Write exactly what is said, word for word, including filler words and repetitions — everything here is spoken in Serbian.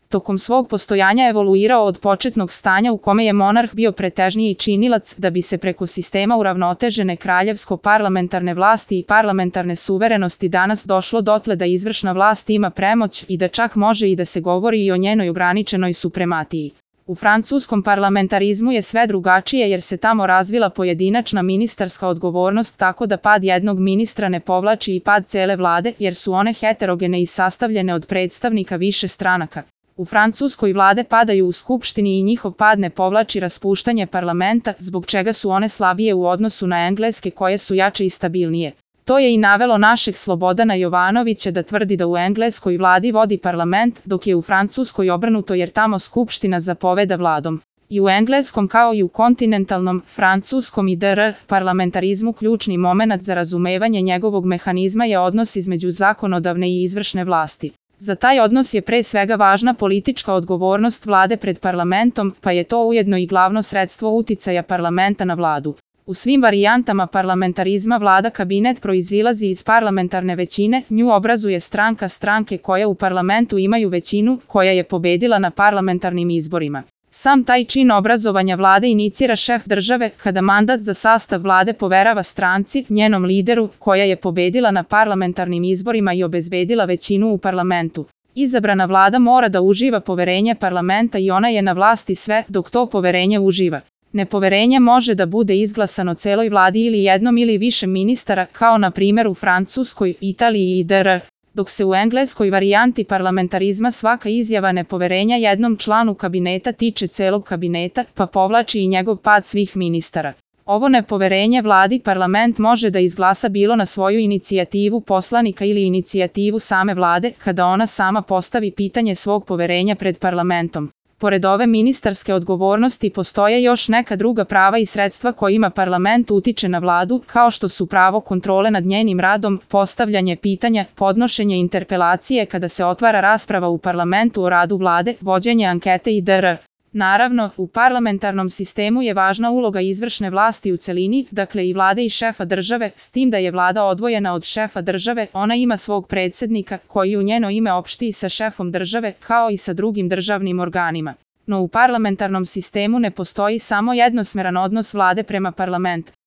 tokom svog postojanja evoluirao od početnog stanja u kome je monarh bio pretežniji činilac da bi se preko sistema uravnotežene kraljevsko-parlamentarne vlasti i parlamentarne suverenosti danas došlo dotle da izvršna vlast ima premoć i da čak može i da se govori i o njenoj ograničenoj suprematiji. U francuskom parlamentarizmu je sve drugačije jer se tamo razvila pojedinačna ministarska odgovornost tako da pad jednog ministra ne povlači i pad cele vlade jer su one heterogene i sastavljene od predstavnika više stranaka. U Francuskoj vlade padaju u skupštini i njihov pad ne povlači raspuštanje parlamenta, zbog čega su one slabije u odnosu na engleske koje su jače i stabilnije. To je i navelo našeg Slobodana Jovanovića da tvrdi da u engleskoj vladi vodi parlament, dok je u Francuskoj obrnuto jer tamo skupština zapoveda vladom. I u engleskom kao i u kontinentalnom, francuskom i dr. parlamentarizmu ključni momenat za razumevanje njegovog mehanizma je odnos između zakonodavne i izvršne vlasti. Za taj odnos je pre svega važna politička odgovornost vlade pred parlamentom, pa je to ujedno i glavno sredstvo uticaja parlamenta na vladu. U svim varijantama parlamentarizma vlada kabinet proizilazi iz parlamentarne većine, nju obrazuje stranka stranke koje u parlamentu imaju većinu, koja je pobedila na parlamentarnim izborima. Sam taj čin obrazovanja vlade inicira šef države kada mandat za sastav vlade poverava stranci, njenom lideru, koja je pobedila na parlamentarnim izborima i obezbedila većinu u parlamentu. Izabrana vlada mora da uživa poverenje parlamenta i ona je na vlasti sve dok to poverenje uživa. Nepoverenje može da bude izglasano celoj vladi ili jednom ili više ministara, kao na primjer u Francuskoj, Italiji i dr. Dok se u engleskoj varijanti parlamentarizma svaka izjava nepoverenja jednom članu kabineta tiče celog kabineta, pa povlači i njegov pad svih ministara. Ovo nepoverenje vladi parlament može da izglasa bilo na svoju inicijativu poslanika ili inicijativu same vlade, kada ona sama postavi pitanje svog poverenja pred parlamentom. Pored ove ministarske odgovornosti postoje još neka druga prava i sredstva kojima parlament utiče na vladu, kao što su pravo kontrole nad njenim radom, postavljanje pitanja, podnošenje interpelacije kada se otvara rasprava u parlamentu o radu vlade, vođenje ankete i dr. Naravno, u parlamentarnom sistemu je važna uloga izvršne vlasti u celini, dakle i vlade i šefa države, s tim da je vlada odvojena od šefa države, ona ima svog predsjednika, koji u njeno ime opšti sa šefom države, kao i sa drugim državnim organima. No u parlamentarnom sistemu ne postoji samo jednosmeran odnos vlade prema parlamentu.